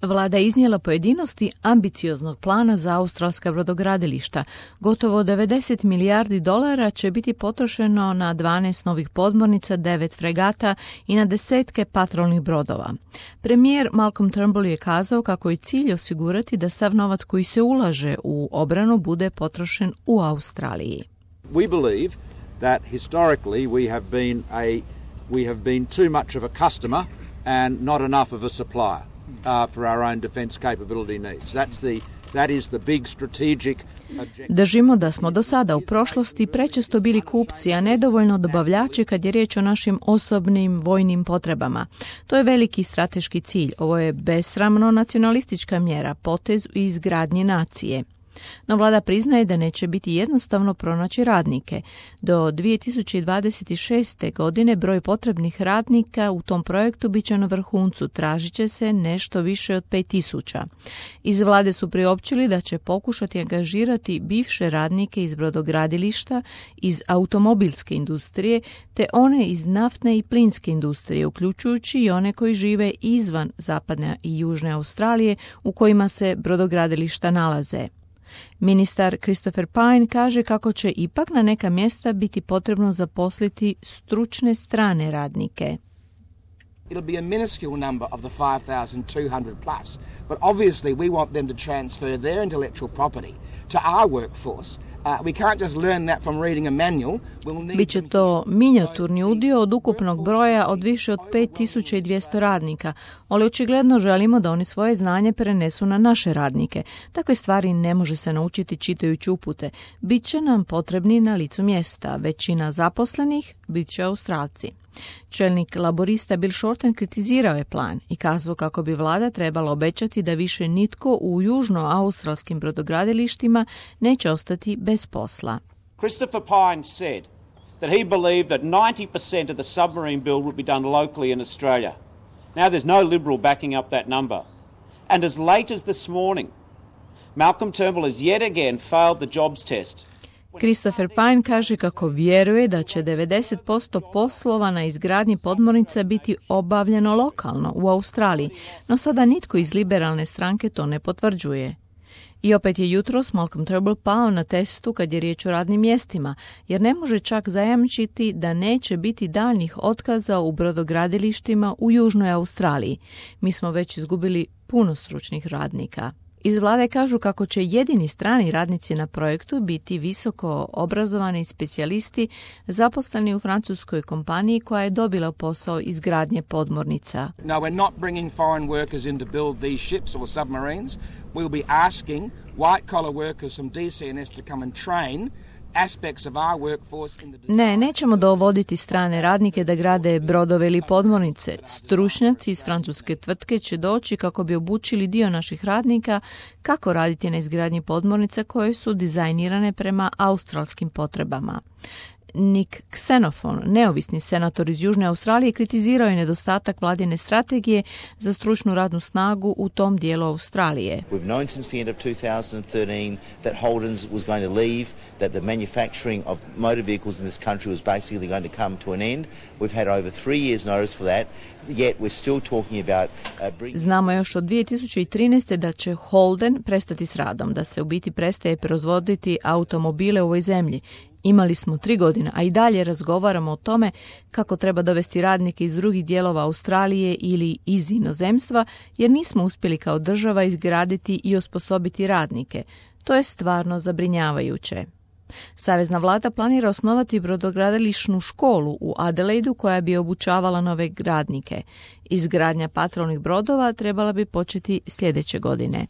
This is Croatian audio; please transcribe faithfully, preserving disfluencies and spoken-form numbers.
Vlada je iznijela pojedinosti ambicioznog plana za australska brodogradilišta. Gotovo devedeset milijardi dolara će biti potrošeno na dvanaest novih podmornica, devet fregata i na desetke patrolnih brodova. Premijer Malcolm Turnbull je kazao kako je cilj osigurati da sav novac koji se ulaže u obranu bude potrošen u Australiji. We believe that historically we have been a we have been too much of a customer and not enough of a supplier. Uh, for our own defense capability needs. That's the that is the big strategic objective. Držimo da smo do sada u prošlosti prečesto bili kupci, a nedovoljno dobavljači kad je riječ o našim osobnim vojnim potrebama. To je veliki strateški cilj. Ovo je besramno nacionalistička mjera, potez u izgradnji nacije. No vlada priznaje da neće biti jednostavno pronaći radnike. Do dvije tisuće dvadeset šeste. godine broj potrebnih radnika u tom projektu bit će na vrhuncu, tražit će se nešto više od pet tisuća. Iz vlade su priopćili da će pokušati angažirati bivše radnike iz brodogradilišta, iz automobilske industrije, te one iz naftne i plinske industrije, uključujući i one koji žive izvan zapadne i južne Australije u kojima se brodogradilišta nalaze. Ministar Christopher Pyne kaže kako će ipak na neka mjesta biti potrebno zaposliti stručne strane radnike. It'll be a minuscule number of the five thousand two hundred plus, but obviously we want them to transfer their intellectual property to our workforce. Uh, we can't just learn that from reading a manual. We'll need Biće to minijaturni udio od ukupnog broja od više od pet tisuća dvjesto radnika, ali očigledno želimo da oni svoje znanje prenesu na naše radnike. Takve stvari ne može se naučiti čitajući upute. Biće nam potrebni na licu mjesta. Većina zaposlenih bit će Australci. Čelnik laborista Bill Shorten kritizirao je plan i kazao kako bi vlada trebala obećati da više nitko u južnoaustralskim brodogradilištima neće ostati bez posla. Christopher Pyne said that he believed that ninety percent of the submarine build would be done locally in Australia. Now there's no Liberal backing up that number. And as late as this morning, Malcolm Turnbull has yet again failed the jobs test. Christopher Pyne kaže kako vjeruje da će devedeset posto poslova na izgradnji podmornica biti obavljeno lokalno u Australiji, no sada nitko iz liberalne stranke to ne potvrđuje. I opet je jutros Malcolm Turnbull pao na testu kad je riječ o radnim mjestima, jer ne može čak zajamčiti da neće biti daljnjih otkaza u brodogradilištima u Južnoj Australiji. Mi smo već izgubili puno stručnih radnika. Iz vlade kažu kako će jedini strani radnici na projektu biti visoko obrazovani specijalisti zaposleni u francuskoj kompaniji koja je dobila posao izgradnje podmornica. No, we're not bringing foreign workers in to build these ships or submarines. We'll be asking white collar workers from D C N S to come and train aspects of our workforce in the design. Ne, nećemo dovoditi strane radnike da grade brodove ili podmornice. Stručnjaci iz francuske tvrtke će doći kako bi obučili dio naših radnika kako raditi na izgradnji podmornica koje su dizajnirane prema australskim potrebama. Nick Xenophon, neovisni senator iz Južne Australije, kritizirao je nedostatak vladine strategije za stručnu radnu snagu u tom dijelu Australije. We've known since the end of two thousand thirteen that Holden's was going to leave, that the manufacturing of motor vehicles in this country was basically going to come to an end. We've had over three years notice for that. Yet we're still talking about uh, Znamo još od dvije tisuće trinaeste. da će Holden prestati s radom, da se u biti prestaje proizvoditi automobile u ovoj zemlji. Imali smo tri godine, a i dalje razgovaramo o tome kako treba dovesti radnike iz drugih dijelova Australije ili iz inozemstva, jer nismo uspjeli kao država izgraditi i osposobiti radnike. To je stvarno zabrinjavajuće. Savezna vlada planira osnovati brodogradilišnu školu u Adelaidu koja bi obučavala nove radnike. Izgradnja patrolnih brodova trebala bi početi sljedeće godine.